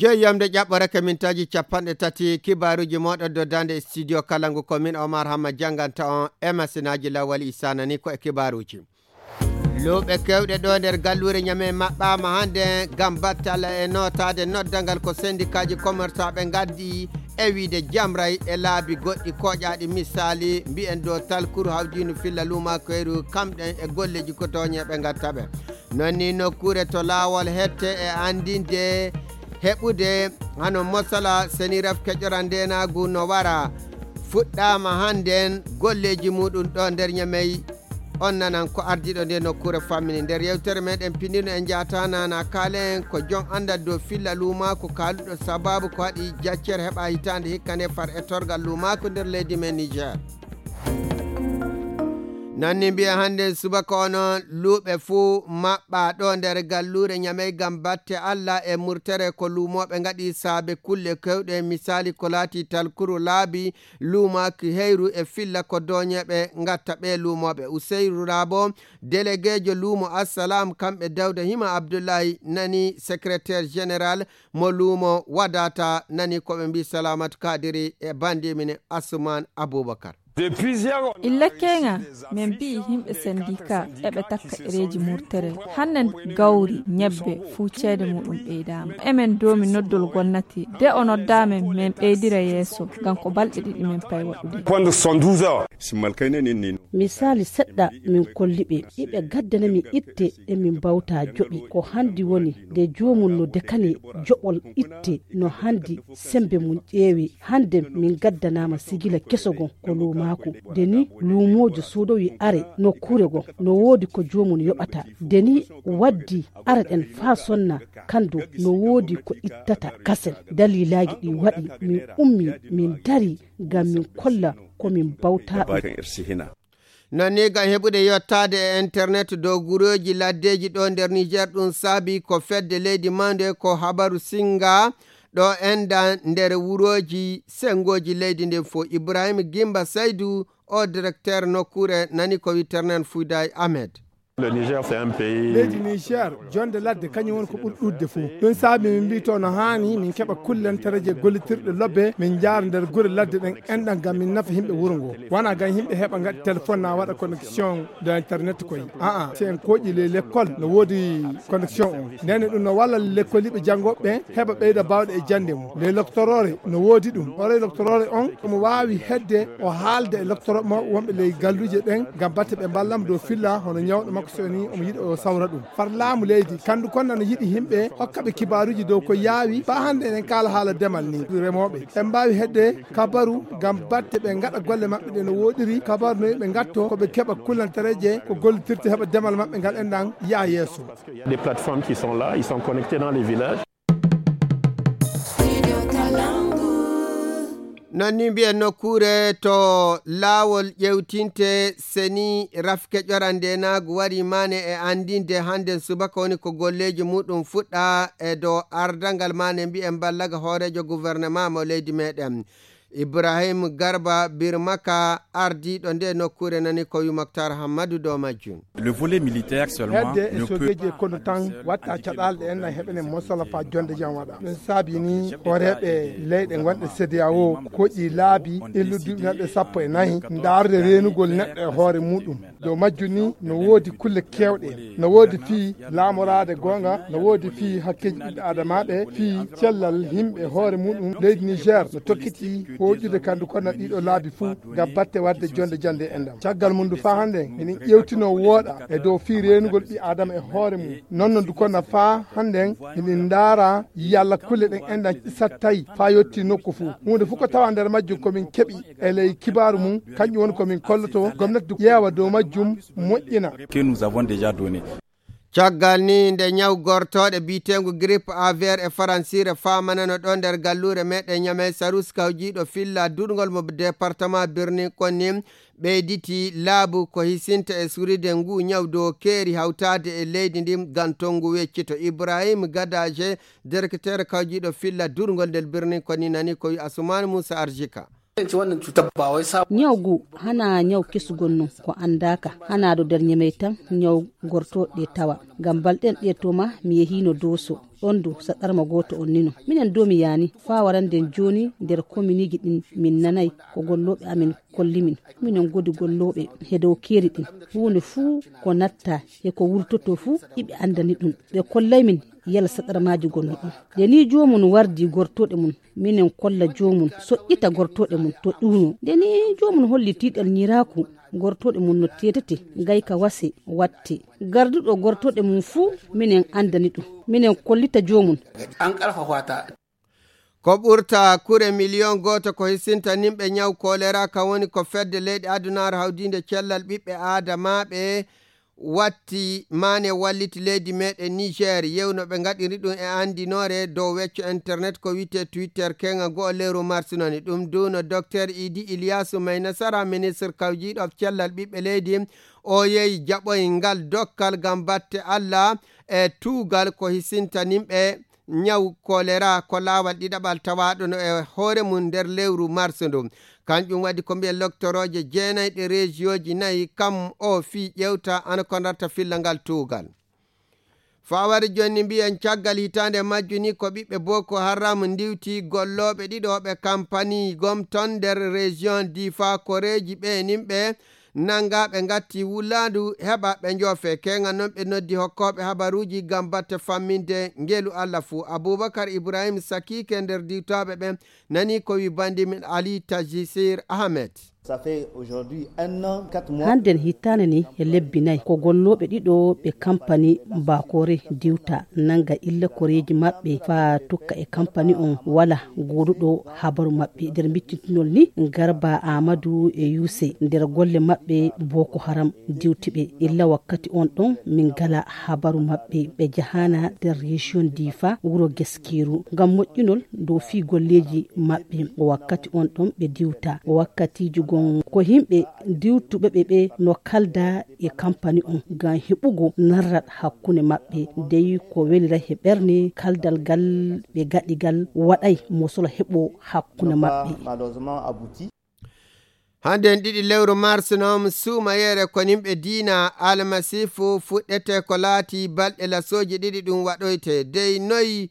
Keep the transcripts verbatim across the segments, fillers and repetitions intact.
Yo yamde ƴaɓɓorake mintaaji capanɗe tati kibaaruuji mooɗon doddande e studio Kalangu, ko min Omar Hamma jannganta on e masinaaji Lawal Isa. Nani ko e kibaaruuji. Luuɓe keewɗe ɗo nder galluure Ñame maɓɓaama hannde ngam battal e nootaade noddangal ko sendikaaji komersaɓe ngaddi e wiide jamray e laabi goɗɗi koƴaaɗi, misaali mbiyen dow Talkuru, Hawdiinu, Filla, Luumakoyru, kamɗen e golleeji ko tooñeeɓe ngatta ɓe. Non ni nokkuure to laawol hette e anndinde heɓude hano mosala seniraf keƴora ndeenaagu no wara fuɗɗaama hannden golleeji muɗum ɗo nder Ñamey. On nanan ko ardiiɗo nde nokkuure fammini. Nder yewtere meɗen pinndino en njaata nana kaalen ko jon anndal dow filla luumaaku kaaluɗo sababu ko waɗi jaccere heɓa hitaande hikka nde far e torgal luumaaku nder leydi men Niger. Nanni mbiya hannden subaka onon luuɓe fuu maɓɓa ɗo nder galluure Ñamey ngam batte Alla e murtere ko luumooɓe ngaɗi saabe kulle kewɗe, misaali ko laati talkuru laabi, luumaaki heyru e filla ko dooñeeɓe ngatta ɓe luumooɓe. Useyru Raabo, delegeejo luumo Assalaam, kamɓe Dawda Hima Abdullahi nani, secrétaire général mo luumo Wadata nani ko ɓe mbii Salamatu Kadiri e banndi mine Asuman Abubakar. Illa keeŋa, min mbiyi yimɓe sendika eɓe takka ɗereeji murtere. Hannen gawri, ñebbe, fuu ceede muɗum ɓeydaama. Emen doomi noddol gonnati. De o noddaa men, min ɓeydira yeeso, ngam ko balɗe ɗiɗi min payi waɗude. Quando são duas horas. Simmal kayne nin nin. Misaali seɗɗa min kolli ɓe, iɓe gaddana mi itte ɗe min mbawta joɓi. Ko hanndi woni nde joomum no dekani joɓol itte no hanndi sembe mum ƴeewi. Hannde min gaddanaama sigila keso gon ko luumaaku. Nde ni luumoojo soodowi are nokkuure gon no woodi ko joomum yoɓata. Nde ni waddi are ɗen faa sonna kandu no woodi ko ittata kasen. Daliilaaji ɗi waɗi min ummi min dari ngam min kolla ko min mbawta ɗum. Nani ngam heɓude yottaade e internet dow gurooji laddeeji ɗo nder Niger, ɗum saabi ko fedde leydi mawnde ko Habaru Singa ɗo enda nder wurooji sengooji leydi ndin fof. Ibrahim Gimba Saydu, o directeur nokkuure nani ko wi Ternan Fouday Ahmed. Le Niger, c'est un pays. Leydi Niger, jonde ladde kañum woni ko ɓuri ɗuɗde fof. Ɗum saabi min mbii to no haani min keɓa kullantareeje gollitirɗe lobbe, min njaara nder gure ladde ɗen enɗan ngam min nafa yimɓe wuro ngo. Wona ngam yimɓe heɓa ngaɗi téléphone na waɗa connexion de internet koy. Aa, si en kooƴi ley lekkol no woodi connexion on. Ndenne ɗum no walla lekkoliiɓe janngooɓe ɓen heɓa ɓeyda baawɗe e jannde mum. Ley loktoroore no woodi ɗum. Hoore loktoroore on omo waawi hedde o haalda e loktoro mawɓe wonɓe ley galluuje ɗen ngam batte ɓe mballamo dow filla hono ñawɗo makko so ni omo yiɗi o sawra ɗum. Far laamu leydi, kandu kon nana yiɗi yimɓe hokka ɓe kibaaruuji dow ko yaawi. Faa hannde enen kaala haala demal ni. Remooɓe, en mbaawi hedde kabaru ngam batte ɓe ngaɗa golle maɓɓe ɗe no wooɗiri, kabaru no ɓe ngatto ko ɓe keɓa kullantareeje ko gollitirte heɓa demal maɓɓe ngal enɗan yaha yeeso. Il y a des plateformes qui sont là, ils sont connectés dans les villages. Non ni mbiyen nokkuure to laawol ƴewtinte seni rafke ƴoran ndenaagu wari maane e anndinde hannden subaka woni ko golleeji muɗum fuɗɗa e dow ardangal maane mbiyen ballaga hooreejo gouvernement mo leydi meɗen. Ibrahim Garba Birmaka, ardiiɗo nde nokkuure nani ko wi Moktar Hammadu dow majjum. Le volet militaire seulement. Hedde e sogeeji e kono tan watta caɗaale ɗe enɗan heɓene mosala faa jonde jam waɗa. Ɗum saabi ni hooreeɓe leyɗe gonɗe CEDEAO koƴi laabi illuduɗi neɗɗe sappo e nayi ndaarde reenugol neɗɗo e hoore muɗum. Dow majjum ni no woodi kulle keewɗe. No woodi fii laamoraade goonga, no woodi fii hakkeeji ɓiɓɓe aadamaaɓe, fii cellal yimɓe hoore muɗum. Leydi Niger no tokkiti hooƴude kandu kono ɗiɗo laabi fuu ngam batte waɗde jonde jannde e enɗam. Caggal mum ndu faa hannde, eɗen ƴeewtino wooɗa e dow fii reenugol ɓi aadama e hoore mum. Non no ndu kona faa hannden, eɗen ndaara yalla kulle ɗen enɗan sattay faa yotti nokku fuu. Huunde fuu ko tawa nder majjum ko min keɓi e ley kibaaru mum, kanƴum woni ko min kolloto gomnati du ƴeewa dow majjum moƴƴina. Que nous avons déjà donné. Caggal ni nde ñaw gortooɗe biiteengu grippe aviaire e faransiire faamanano ɗo nder galluure meɗen Ñamey Sarus kawjiiɗo filla durngol mo département Birnin Konni ɓeyditi laabu ko hisinta e suride ngu ñaw dow keeri hawtaade e leydi ndin ngam to ngu weccito. Ibrahim Gadaje, directeur kawjiiɗo filla durngol nder Birnin Konni nani ko wi Asuman Musa Arjika. Ñaw ngu hana ñaw kesu gonno ko anndaaka, hana do nder Ñamey tan ñaw gortooɗe tawa. Ngam balɗen ɗe toma mi yehiino Dooso. Ɗon du saɗɗarma gooto on nino. Minen domi yaani faa waranden jooni nder kominiiji ɗin min nanay ko gollooɓe amin kolli min. Minen godi gollooɓe he dow keeri ɗin. Huunde fuu ko natta he ko wurtotoo fuu iɓe anndani ɗum. Ɓe kollay min yala saɗɗarmaaji gonno ɗon. Nde nii joomum wardi gortooɗe mum, minen kolla joomum soƴƴita gortooɗe mum to ɗuuno. Nde nii joomum holli tiiɗal ñiraaku gortooɗe mum no teetete gayka wase watte. Garduɗo gortooɗe mum fuu minen anndani ɗum. Minen kollita joomum. An ƙarfafa ta. Ko ɓurta kure miliyon gooto ko hisinta nimɓe ñaw kolera, kan woni ko fedde leyɗe adunaaru hawdiinde cellal ɓiɓɓe aadamaaɓe watti maane walliti leydi meɗen Niger. Yewno ɓe ngaɗiri ɗum e anndinoore dow wecco internet ko wiyetee Twitter, keŋa goo lewru mars noni. Ɗum duuno Docteur Idi Ilyasu May Nasara, ministre kawjiiɗo cellal ɓiɓɓe leydi. O yehi jaɓoy ngal dokkal ngam batte Alla e tuugal ko hisinta nimɓe ñaw kolera ko laawal ɗiɗaɓal tawaaɗo no e hoore mum nder lewru mars ndu. Kanjum waɗi ko mbiyen loktorooje jeenay ɗe reejiyooji nayi kam o fii ƴewta ana ko darta filla ngal tuugal. Fawade jonni mbiyen caggal hitaande majju ni ko ɓiɓɓe Boko Haram ndiwti gollooɓe ɗiɗo ɓe kampani gom ton nder région Difa, koreeji ɓe nimɓe nanga ɓe ngatti wulaandu heɓa ɓe njoofe. Keŋa non ɓe noddi hokkooɓe habaruuji ngam batte famminde ngelu Allah fuu. Abubakar Ibrahim Sakike nder diwtooɓe ɓen nani ko wi bandi min Ali Tajisir Ahmed. Ça fait aujourd'hui un an, quatre mois. Hannden hitaane ni e lebbi nay ko gollooɓe ɗiɗo ɓe kampani Bakore diwta nanga illa koreeji maɓɓe faa tukka e kampani on wala gooduɗo habaru maɓɓe. Nder miccintinol ni Garba Amadu e Yuse nder golle maɓɓe Boko Haram diwti ɓe. Illa wakkati on ɗon min ngala habaru maɓɓe. Ɓe jahaana nder région Difa wuro Geskiru ngam moƴƴinol dow fii golleeji maɓɓe. Wakkati on ɗon ɓe diwta. Wakkatiiji gon ko himɓe diwtuɓe ɓe ɓe no kalda e kampani on ngam heɓugo narral hakkunde maɓɓe. Dey ko welira he ɓerne kaldal gal ɓe gaɗi gal waɗay mosola heɓo hakkunde maɓɓe. Malheureusement abouti. Hannden ɗiɗi lewru mars non suumayere ko nimɓe diina almasiifu fuɗɗete ko laati balɗe lasooji ɗiɗi ɗum waɗoyte. Dey noy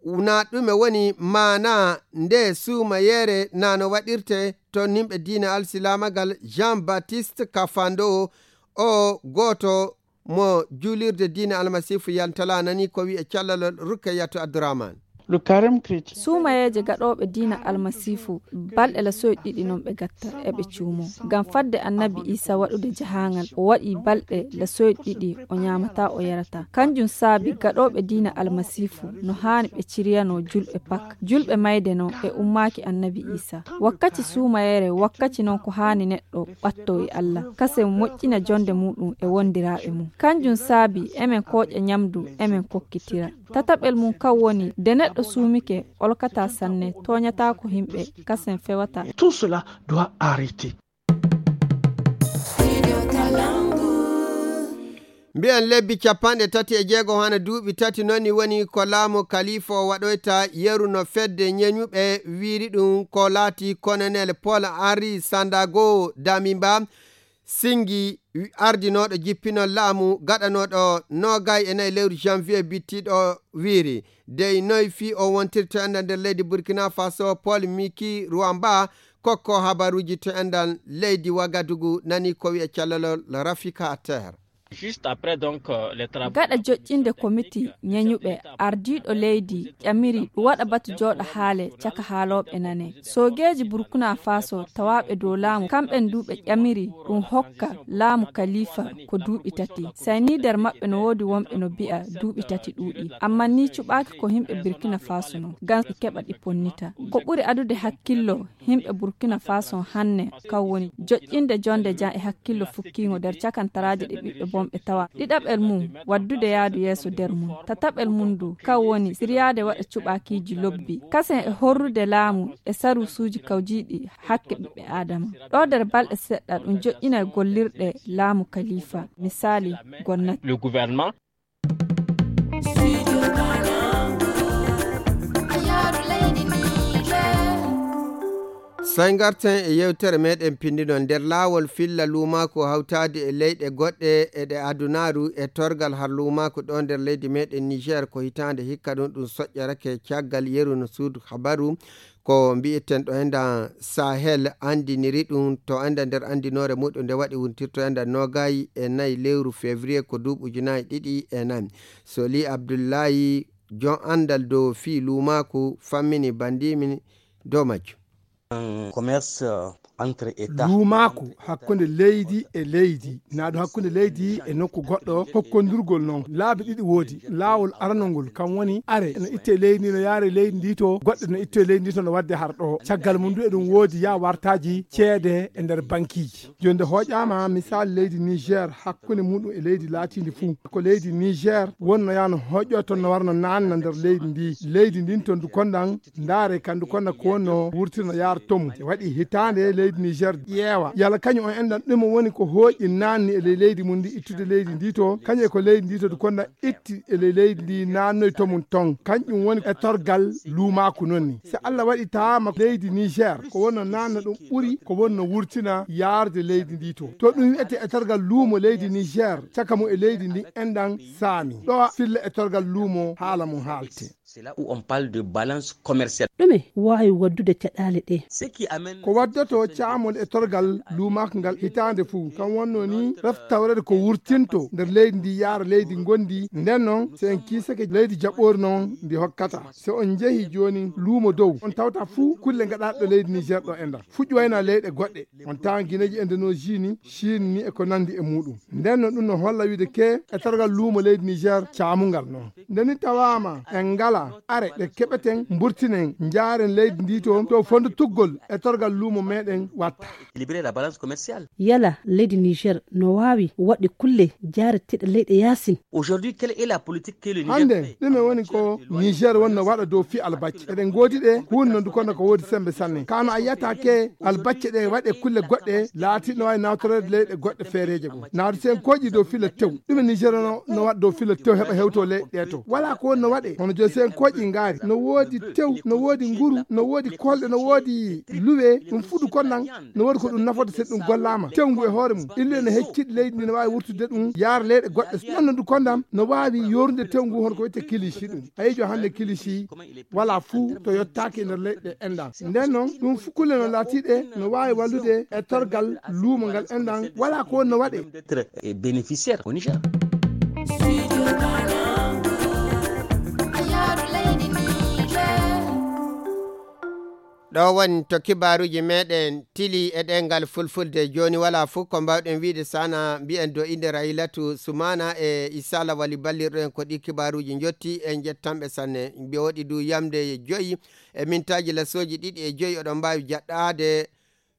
na ɗume woni maana nde suumayere na no waɗirte to nimɓe diina alsilaamagal Jean Baptiste Kafando o gooto mo juulirde diina almasiifu yantala nani ko wi'e callalol Rukkayatu Abdurahman. Le carême chrétien. Suumayeeje gaɗooɓe diina almasiifu balɗe lasoy ɗiɗi non ɓe gatta eɓe cuumo ngam fadde annabi Isa waɗude jahaangal o waɗi balɗe lasoy ɗiɗi o ñaamataa o yarataa. Kanjum saabi gaɗooɓe diina almasiifu no haani ɓe ciryano julɓe Pak, julɓe mayde non e ummaaki annabi Isa. Wakkati suumayere wakkati non ko haani neɗɗo ɓatto e Allah kasen moƴƴina jonde muɗum e wondiraaɓe mum. Kanjum saabi emen kooƴa ñamdu emen kokkitira. Tataɓel mum kan woni nde neɗɗo suumike olkataa sanne tooñataako himɓe kasen fewataa. Tout cela doit arrêter. Mbiyen lebbi capanɗe tati e jeego hana duuɓi tati noni woni ko laamu kalifa o waɗoyta yeru no fedde ñeñuɓe wiiri ɗum ko laati Colonel Paul Henri Sandago Damimba Singi ardinooɗo jippinol laamu gaɗanooɗo noogay e nayi lewru janvier bittiiɗo wiiri. Dey noy fii o wontirta ender nder leydi Burkina Faso Paul Miki Ruwamba kokko habaruuji to endal leydi Wagadugu nani ko wi'e callalol Rafika Ter. Juste après donc euh, les travaux. Gaɗa joƴƴinde komiti ñeñuɓe ardiiɗo leydi ƴamiri ɗum waɗa batu jooɗa haale caka haalooɓe nane. Soogeeji Burkina Faso tawaaɓe dow laamu kamɓen du ɓe ƴamiri ɗum hokka laamu kalifa ko duuɓi tati. Say ni nder maɓɓe no woodi wonɓe no bi'a duuɓi tati ɗuuɗi. Amma ni cuɓaaki ko himɓe Burkina Faso non ngam ɓe keɓa ɗi ponnita. Ko ɓuri adude hakkillo himɓe Burkina Faso hanne kan woni joƴƴinde jonde jam e hakkillo fukkiingo nder cakantaraaji ɗi ɓiɓɓe bonɓe tawa. Ɗiɗaɓel mum waddude yaadu yeeso nder mum. Tataɓel mum du kan woni siryaade waɗa cuɓaakiiji lobbi kasen e horrude laamu e saruusuuji kawjiiɗi hakke ɓiɓɓe Aadama. Ɗo nder balɗe seɗɗa ɗum joƴƴinay gollirɗe laamu kalifa, misaali gonnati. Le gouvernement. So en ngarten e yewtere meɗen pinndino nder laawol filla luumaaku hawtaade e leyɗe goɗɗe e ɗe adunaaru e torgal har luumaaku ɗo nder leydi meɗen Niger ko hitaande hikka ɗum ɗum soƴƴorake caggal yeru no suudu habaru ko mbi'eten ɗo enda Sahel anndiniri ɗum to enda nder anndinoore muɗum nde waɗi wuntirto enda nogayi e nayi lewru février ko duuɓi ujunaaji ɗiɗi e nayi. Soli Abdullahi jon anndal dow fii luumaaku fammini banndimi dow majjum. Commerce, euh, entre États. Luumaaku hakkunde leydi e leydi, naa ɗum hakkunde leydi e nokku goɗɗo, hokkondirgol noon laabi ɗiɗi woodi. Laawol aranol ngol kam woni are no itte leydi ndi no yaare leydi ndi to, goɗɗe no itte leydi ndi to no waɗde har ɗo. Caggal mum du eɗum woodi ya wartaaji ceede e nder bankiiji. Jooni nde hooƴaama misaal leydi Niger hakkunde muɗum e leydi laatiindi fuu. Ko leydi Niger wonno ya no hooƴo toon no warno naanna nder leydi ndi. Leydi ndin toon du kondan ndaare kandu konna ko wonno wurtirno yaar tomu. E waɗi hitaande leydi Niger ƴeewa. Yala kañum on enɗan ɗum woni ko hooƴi naanni e ley leydi mum ndi ittude leydi ndi to. Kañum e ko leydi ndi to du kondan itti e ley leydi ndi naannoy to mum ton. Kañum woni e torgal luumaaku noon ni. Si Allah waɗi taama leydi Niger ko wonno naanna ɗum ɓuri ko wonno wurtina yaarde leydi ndi to. To ɗum wi'ete e torgal luumo leydi Niger caka mum e leydi ndi enɗan saami. Ɗo filla e torgal luumo haala mum haalte. C'est là où on parle de balance commerciale. Ɗume waawi waddude caɗaale ɗe? Ce qui amène. Ko waddoto caamol e torgal luumaaka ngal hitaande fuu. Kam wonno ni ref tawreede ko wurtinto nder leydi ndi yaara leydi ngondi. Nden noon, so en kiisake leydi jaɓoori noon ndi hokkata. So on njehi jooni luumo dow, on tawta fuu kulle ngaɗaaɗe ɗo leydi Niger ɗo e nder. Fuɗi wayna leyɗe goɗɗe. On tawan Gineji Indonesie ni, Chine ni e ko nandi e muɗum. Nden no ɗum no holla wiide ke e torgal luumo leydi Niger caamungal noon. Nde ni tawaama en ngala are ɗe keɓeten mburtinen njaaren leydi ndi to, to fondo tuggol e torgal luumo meɗen watta. Équilibrer la balance commerciale. Yala leydi Niger no waawi waɗde kulle jaareteeɗe leyɗe yaasin? Aujourd'hui, quelle est la politique que le Niger hannde fait? Ɗume woni ko Niger wonno waɗa dow fii albacce? Eɗen ngoodi ɗe huunde non du kono ko woodi sembe sanne. Kano a yiyata ke albacce ɗe waɗe kulle goɗɗe laatiɗo no waawi nawtoreede leyɗe goɗɗe feereeje goo. Naadu si en kooƴi dow fila tew. Ɗume Niger no, no waɗa dow fila tew heɓa hewto leyɗe ɗe to? Wala ko wonno waɗe. Hono jooni si en kooƴi ngaari. No woodi tew, no woodi nguru, no woodi kolɗe, no woodi luwe. Ɗum fuɗu kon nan. No waɗi ko ɗum nafata so ɗum gollaama. Tewngu e hoore mum. Ille no hecciɗi leydi ndi no waawi wurtude ɗum yaara leyɗe goɗɗe. Noon no ɗum kondam no waawi yorude tewngu hono ko wiyetee kilishi ɗum. A yijo hannde kilishi wala fuu to yottaaki e nder leyɗe enɗan. Nden noon ɗum fuu kulle no laatiiɗe no waawi wallude e torgal luumo ngal enɗan wala ko wonno waɗe. D'être, eh, bénéficiaire au Niger. Ɗo woni to kibaaruuji meɗen tili e ɗengal fulfulde. Jooni wala fof ko mbawɗen wiide sana mbiyen do innde Raylatu Sumana e Issa Lawali ballirɗo en ko ɗi kibaaruuji njotti. En jettanɓe sanne. Mbi woɗi du yamde joyi e mintaaji lasooji ɗiɗi e joyi oɗon mbaawi jaɗɗaade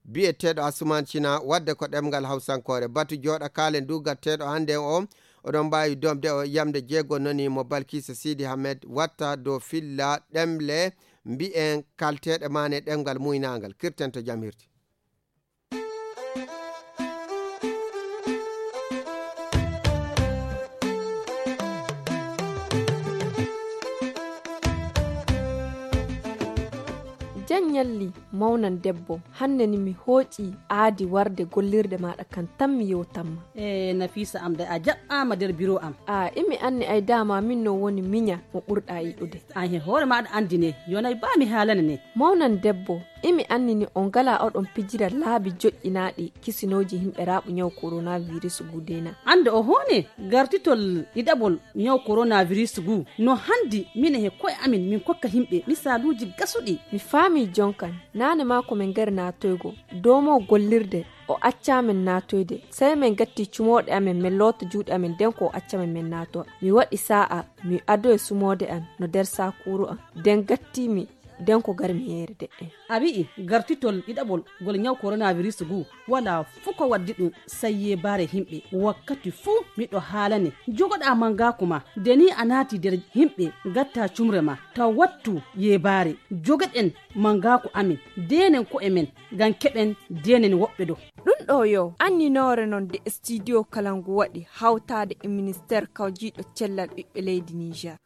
biyeteeɗo Asuman Cina wadde ko ɗemngal Hawsankoore. Batu jooɗa kaalen du gatteeɗo hannde o, oɗon mbaawi domde o yamde jeego noni mo Balkisa Sidi Hamed watta do filla ɗemle mbiyen kalteeɗe maane ɗemngal muynaangal. Kirten to jam hirti. Jan ñalli, mawnan debbo, hannde ni mi hooƴi aadi warde gollirde maaɗa kan tan mi yewtanma. E Nafisa am de a jaɓɓaama nder biro am. A imi anni ay dama min no woni miña mo ɓurɗa yiɗude. An he hoore maaɗa anndi ne, yonay ba mi haalane ne. Mawnan debbo, imi anni ni on ngala oɗon pijira laabi joƴƴinaaɗi kisinooji himɓe raaɓu ñaw coronavirus gudena. Annde o hoone gartitol ɗiɗaɓol ñaw coronavirus gu no hanndi mine he ko'e amin min kokka himɓe misaaluuji gasuɗi. Mi faami jonkan, naane maa ko min ngari naatoygo, doomo gollirde, o accaa min naatoyde. Sey min gatti cumooɗe amin, min loota juuɗe amin, nden ko o acca min, min naatowa. Mi waɗi saa'a, mi adoyi sumoode an no nder saakuuru an. Nden gatti mi, nden ko gar mi yeere de'en. A wi'i gartitol ɗiɗaɓol ngol ñaw coronavirus gu, wala fuu ko waddi ɗum, sey yeebaare himɓe. Wakkati fuu miɗo haalane, jogoɗaa mangaaku ma. Nde ni a naati nder himɓe, gatta cumre ma, taw wattu yeebaare. Jogoɗen mangaaku amin, deenen ko'e men, ngam keɓen deenen woɓɓe do. Ɗum ɗo yo anninoore non de studio kala ngu waɗi hawtaade e ministeer kawjiiɗo cellal ɓiɓɓe leydi Niger.